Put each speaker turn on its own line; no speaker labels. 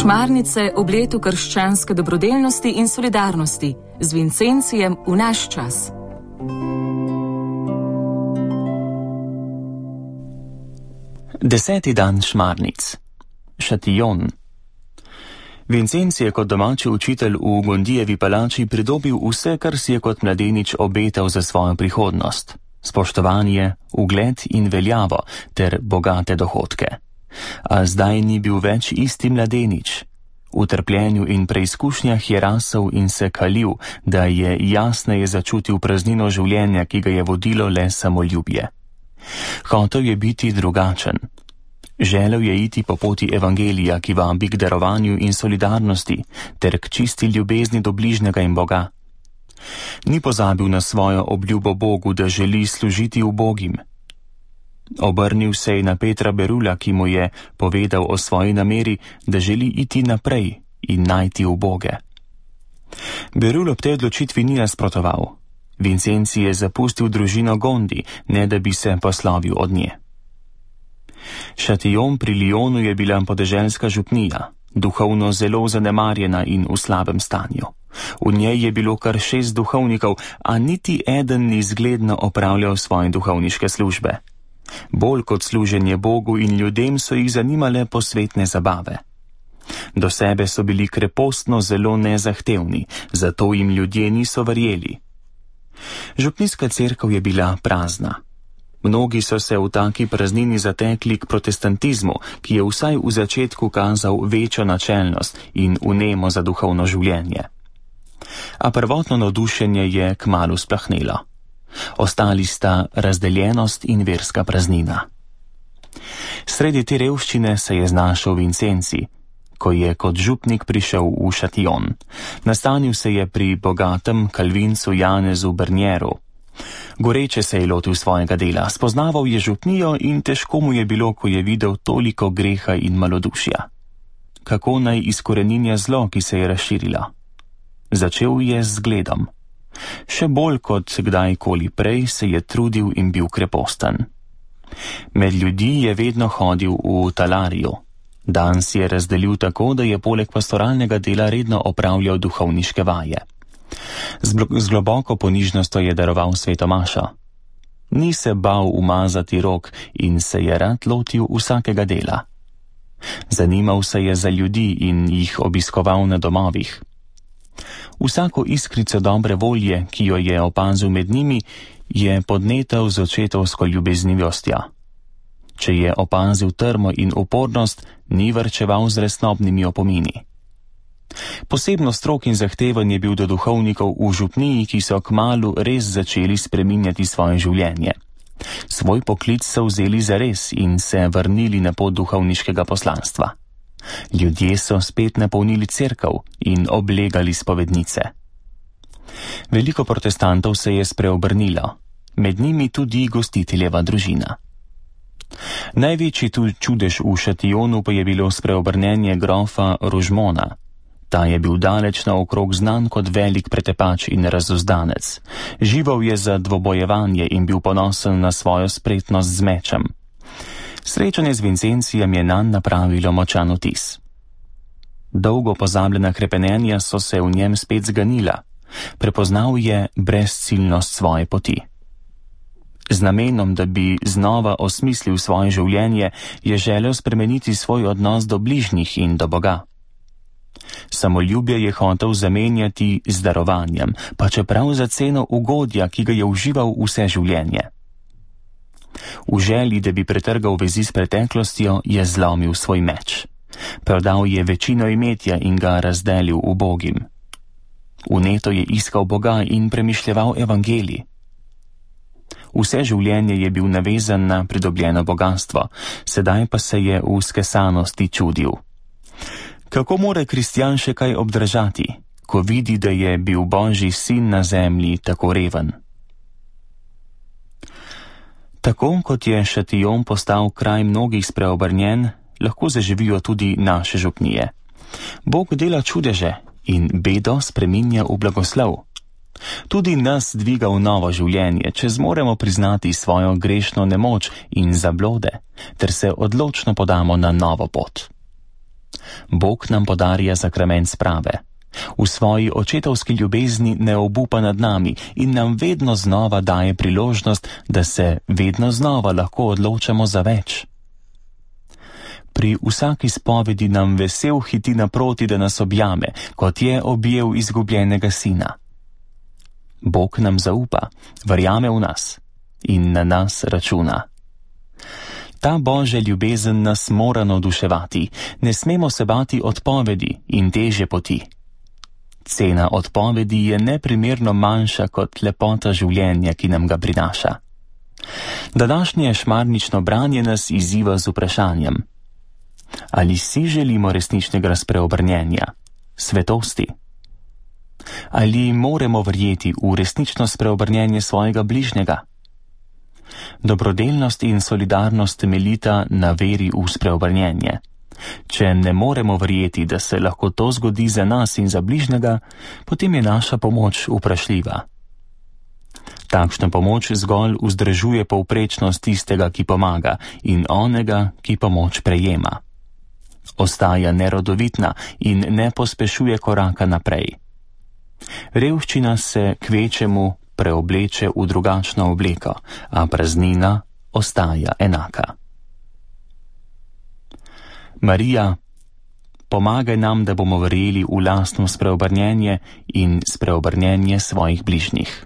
Šmarnice ob letu krščanske dobrodelnosti in solidarnosti z Vincencijem v naš čas.
Deseti dan šmarnic. Šatijon. Vincenci je kot domači učitelj v Gondijevi palači pridobil vse, kar si je kot mladenič obetal za svojo prihodnost. Spoštovanje, ugled in veljavo ter bogate dohodke. A zdaj ni bil več isti mladenič. V trpljenju in preizkušnjah je rasel in se kalil, da je jasneje začutil praznino življenja, ki ga je vodilo le samoljubje. Hotel je biti drugačen. Želel je iti po poti evangelija, ki vabi k darovanju in solidarnosti, ter k čisti ljubezni do bližnjega in Boga. Ni pozabil na svojo obljubo Bogu, da želi služiti ubogim. Obrnil se je na Petra Berula, ki mu je povedal o svoji nameri, da želi iti naprej in najti uboge. Berul ob tej odločitvi ni nasprotoval. Vincenci je zapustil družino Gondi, ne da bi se poslovil od nje. Šatijon pri Lyonu je bila podeželska župnija, duhovno zelo zanemarjena in v slabem stanju. V njej je bilo kar 6 duhovnikov, a niti eden ni zgledno opravljal svoje duhovniške službe. Bolj kot služenje Bogu in ljudem so jih zanimale posvetne zabave. Do sebe so bili krepostno zelo nezahtevni, zato jim ljudje niso verjeli. Župnijska cerkev je bila prazna. Mnogi so se v taki praznini zatekli k protestantizmu, ki je vsaj v začetku kazal večjo načelnost in vnemo za duhovno življenje. A prvotno navdušenje je kmalu splahnelo. Ostali sta razdeljenost in verska praznina. Sredi te revščine se je znašel Vincenci, ko je kot župnik prišel v Šatijon. Nastanil se je pri bogatem kalvincu Janezu Bernjeru. Goreče se je lotil svojega dela, spoznaval je župnijo in težko mu je bilo, ko je videl toliko greha in malodušja. Kako naj izkoreninja zlo, ki se je razširilo? Začel je z zgledom. Še bolj kot kdajkoli prej se je trudil in bil kreposten. Med ljudi je vedno hodil v talariju. Dan si je razdelil tako, da je poleg pastoralnega dela redno opravljal duhovniške vaje. Z globoko ponižnostjo je daroval svetomašo. Ni se bal umazati rok in se je rad lotil vsakega dela. Zanimal se je za ljudi in jih obiskoval na domovih. Vsako iskrico dobre volje, ki jo je opazil med njimi, je podnetal z očetovsko ljubeznivostjo. Če je opazil trmo in upornost, ni varčeval z resnobnimi opomini. Posebno strog in zahteven je bil do duhovnikov v župniji, ki so kmalu res začeli spreminjati svoje življenje. Svoj poklic so vzeli zares in se vrnili na pot duhovniškega poslanstva. Ljudje so spet napolnili cerkev in oblegali spovednice. Veliko protestantov se je spreobrnilo, med njimi tudi gostiteljeva družina. Največji čudež v Šatijonu pa je bilo spreobrnenje grofa Rožmona. Ta je bil daleč naokrog znan kot velik pretepač in razuzdanec. Žival je za dvobojevanje in bil ponosen na svojo spretnost z mečem. Srečanje z Vincencijem je nanj napravilo močan vtis. Dolgo pozabljena hrepenenja so se v njem spet zganila. Prepoznal je brezciljnost svoje poti. Z namenom, da bi znova osmislil svoje življenje, je želel spremeniti svoj odnos do bližnjih in do Boga. Samoljubje je hotel zamenjati z darovanjem, pa čeprav za ceno ugodja, ki ga je užival vse življenje. V želji, da bi pretrgal vezi s preteklostjo, je zlomil svoj meč. Prodal je večino imetja in ga razdelil ubogim. Vneto je iskal Boga in premišljeval evangelij. Vse življenje je bil navezan na pridobljeno bogastvo, sedaj pa se je v skesanosti čudil. Kako more kristjan še kaj obdržati, ko vidi, da je bil Božji sin na zemlji tako reven? Tako kot je Šatijon postal kraj mnogih spreobrnjen, lahko zaživijo tudi naše župnije. Bog dela čudeže in bedo spreminja v blagoslov. Tudi nas dviga v novo življenje, če zmoremo priznati svojo grešno nemoč in zablode, ter se odločno podamo na novo pot. Bog nam podarja sakrament sprave. V svoji očetovski ljubezni ne obupa nad nami in nam vedno znova daje priložnost, da se vedno znova lahko odločamo za več. Pri vsaki spovedi nam vesel hiti naproti, da nas objame, kot je objel izgubljenega sina. Bog nam zaupa, verjame v nas in na nas računa. Ta Božja ljubezen nas mora navduševati, ne smemo se bati odpovedi in težje poti. Cena odpovedi je neprimerno manjša kot lepota življenja, ki nam ga prinaša. Današnje šmarnično branje nas izziva z vprašanjem: ali si želimo resničnega spreobrnjenja, svetosti? Ali moramo verjeti v resnično spreobrnjenje svojega bližnjega? Dobrodelnost in solidarnost temeljita na veri v spreobrnjenje. Če ne moremo verjeti, da se lahko to zgodi za nas in za bližnjega, potem je naša pomoč vprašljiva. Takšna pomoč zgolj vzdržuje povprečnost tistega, ki pomaga, in onega, ki pomoč prejema. Ostaja nerodovitna in ne pospešuje koraka naprej. Revščina se kvečemu preobleče v drugačno obleko, a praznina ostaja enaka. Marija, pomagaj nam, da bomo verjeli v lastno spreobrnjenje in spreobrnjenje svojih bližnjih.